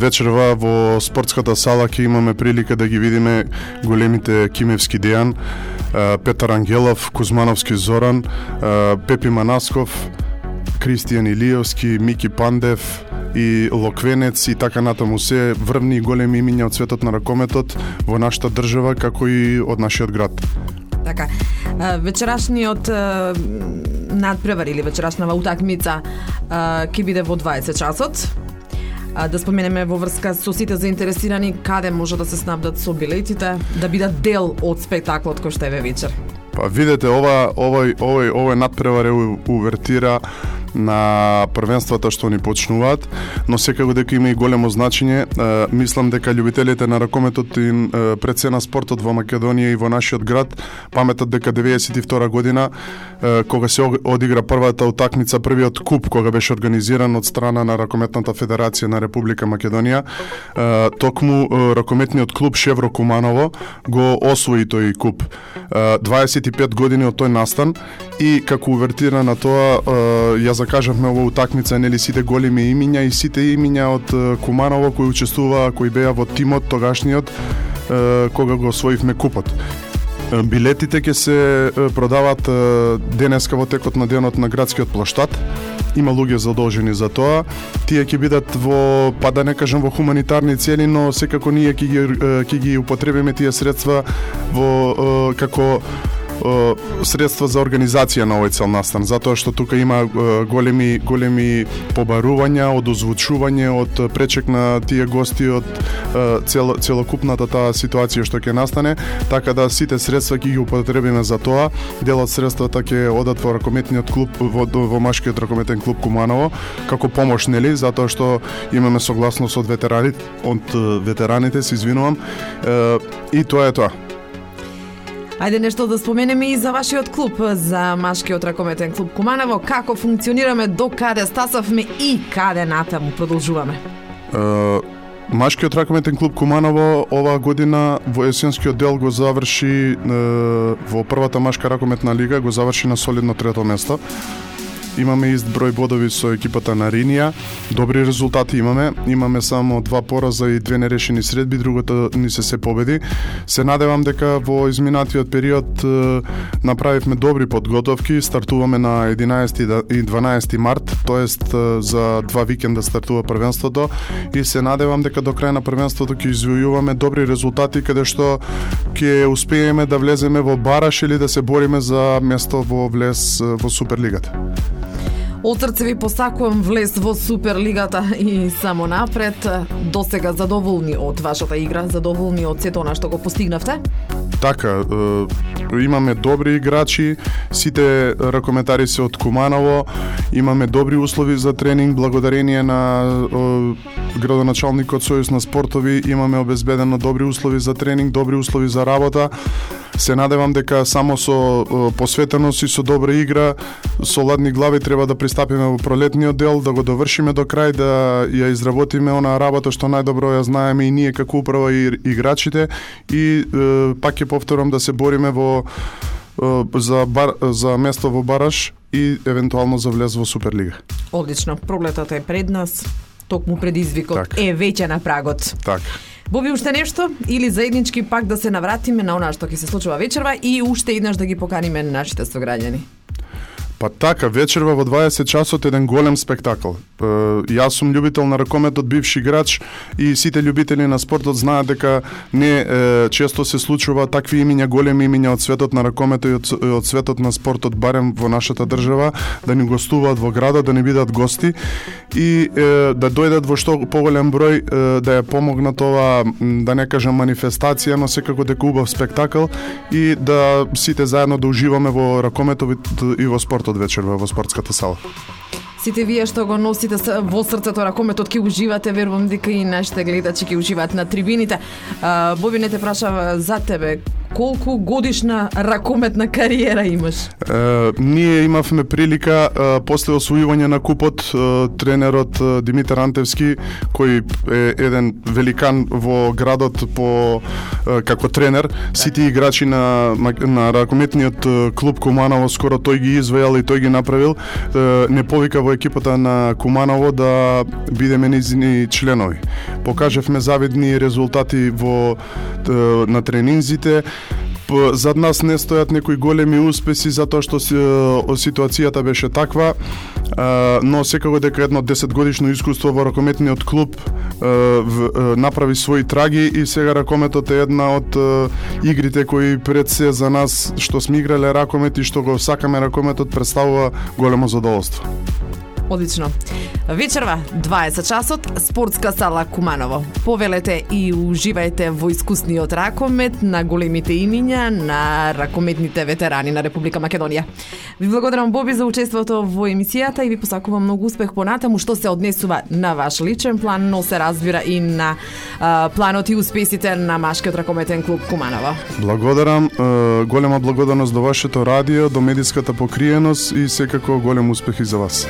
Вечерва во спортската сала ќе имаме прилика да ги видиме големите Кимевски Дејан, Петар Ангелов, Кузмановски Зоран, Пепи Манасков, Кристијан Илиевски, Мики Пандев и Локвенец и така натаму, се врвни и големи имиња од светот на ракометот во нашата држава, како и од нашиот град. Така, вечерашниот надпревар или вечерашнава утакмица ќе биде во 20 часот. Да споменеме во врска со сите заинтересирани каде може да се снабдат со билетите, да бидат дел од спектаклот кој што е вечер. Па видете, овој надпревар е увертира на првенствата што ни почнуваат, но секако дека има и големо значење. Мислам дека љубителите на ракометот и пред се на спортот во Македонија и во нашиот град паметат дека 92 година, кога се одигра првата утакмица, првиот куп кога беше организиран од страна на Ракометната федерација на Република Македонија, токму ракометниот клуб Шевро Куманово го освои тој куп. 25 години од тој настан и како увертира на тоа ја закажавме ова утакмица, нели, сите големи имиња и сите имиња од Куманово кои учествуваа, кои беа во тимот тогашниот кога го освоивме купот. Билетите ќе се продаваат денеска во текот на денот на градскиот плоштад. Има луѓе задолжени за тоа. Тие ќе бидат во, па да не кажам во хуманитарни цели, но секако ние ќе ги употребиме тие средства во како средства за организација на овој цел настан, затоа што тука има големи побарувања од озвучување, од пречек на тие гости, од целокупната таа ситуација што ќе настане, така да сите средства ќе ги употребиме за тоа. Дел од средствата ќе одат во ракометниот клуб, во машкиот ракометен клуб Куманово, како помош, нели, затоа што имаме согласност од ветераните, се извинувам, и тоа е тоа. Ајде нешто да споменеме и за вашиот клуб, за машкиот ракометен клуб Куманово, како функционираме, до каде стасавме и каде натаму продолжуваме. Машкиот ракометен клуб Куманово оваа година во есенскиот дел го заврши во првата машка ракометна лига, го заврши на солидно трето место. Имаме ист број бодови со екипата на Ринија, добри резултати имаме само 2 пораза и 2 нерешени средби, другото ни се победи. Се надевам дека во изминатиот период направивме добри подготовки, стартуваме на 11 и 12 март, тоест за 2 викенда стартува првенството и се надевам дека до крај на првенството ќе извојуваме добри резултати каде што ќе успееме да влеземе во бараш или да се бориме за место во влез во Суперлигата. Од срце ви посакувам влез во Суперлигата и само напред. Досега задоволни од вашата игра, задоволни од сето она што го постигнавте? Така, имаме добри играчи, сите ракометари се од Куманово, имаме добри услови за тренинг, благодарение на градоначалникот Сојуз на спортови, имаме обезбедено добри услови за тренинг, добри услови за работа. Се надевам дека само со посветеност и со добра игра, со ладни глави треба да пристапиме во пролетниот дел, да го довршиме до крај, да ја изработиме онаа работа што најдобро ја знаеме и ние како управа и играчите и пак ќе повторам да се бориме за место во бараш и евентуално за влез во Суперлига. Одлично, пролетата е пред нас, токму предизвикот е веќе на прагот. Така. Боби, уште нешто или заеднички пак да се навратиме на она што ќе се случува вечерва и уште еднаш да ги поканиме нашите сограѓани? Па така, вечерва во 20 часот еден голем спектакл. Јас сум љубител на ракометот, бивши играч и сите љубители на спортот знаат дека не често се случува такви имиња, големи имиња од светот на ракометот и од светот на спортот, барем во нашата држава, да ни гостуваат во градот, да ни бидат гости и да дојдат во што поголем број, да ја помогнат ова, да не кажам манифестација, но секако дека убав спектакл и да сите заедно да уживаме во ракометот и во спортот вечерва во спортската сала. Сите вие што го носите во срцето ракометот ќе уживате, верувам дека и нашите гледачи ќе уживаат на трибините. Боби, не те прашав за тебе, колку годишна ракометна кариера имаш? Ние имавме прилика после освојување на купот, тренерот Димитар Антевски, кој е еден великан во градот како тренер, сите играчи на ракометниот клуб Куманово скоро тој ги извајал и тој ги направил, не повика во екипата на Куманово да бидеме низини членови. Покажавме завидни резултати на тренинзите. Зад нас не стојат некои големи успеси затоа што ситуацијата беше таква, но секако дека едно 10 годишно искуство во ракометниот клуб направи своји траги и сега ракометот е една од игрите кои пред се за нас што сме играле ракомет и што го сакаме ракометот представува големо задоволство. Одлично. Вечерва, 20 часот, спортска сала Куманово. Повелете и уживајте во искусниот ракомет на големите имиња на ракометните ветерани на Република Македонија. Ви благодарам, Боби, за учеството во емисијата и ви посакувам многу успех понатаму што се однесува на ваш личен план, но се разбира и на планот и успесите на машкиот ракометен клуб Куманово. Благодарам, голема благодарност до вашето радио, до медиската покриеност и секако голем успех и за вас.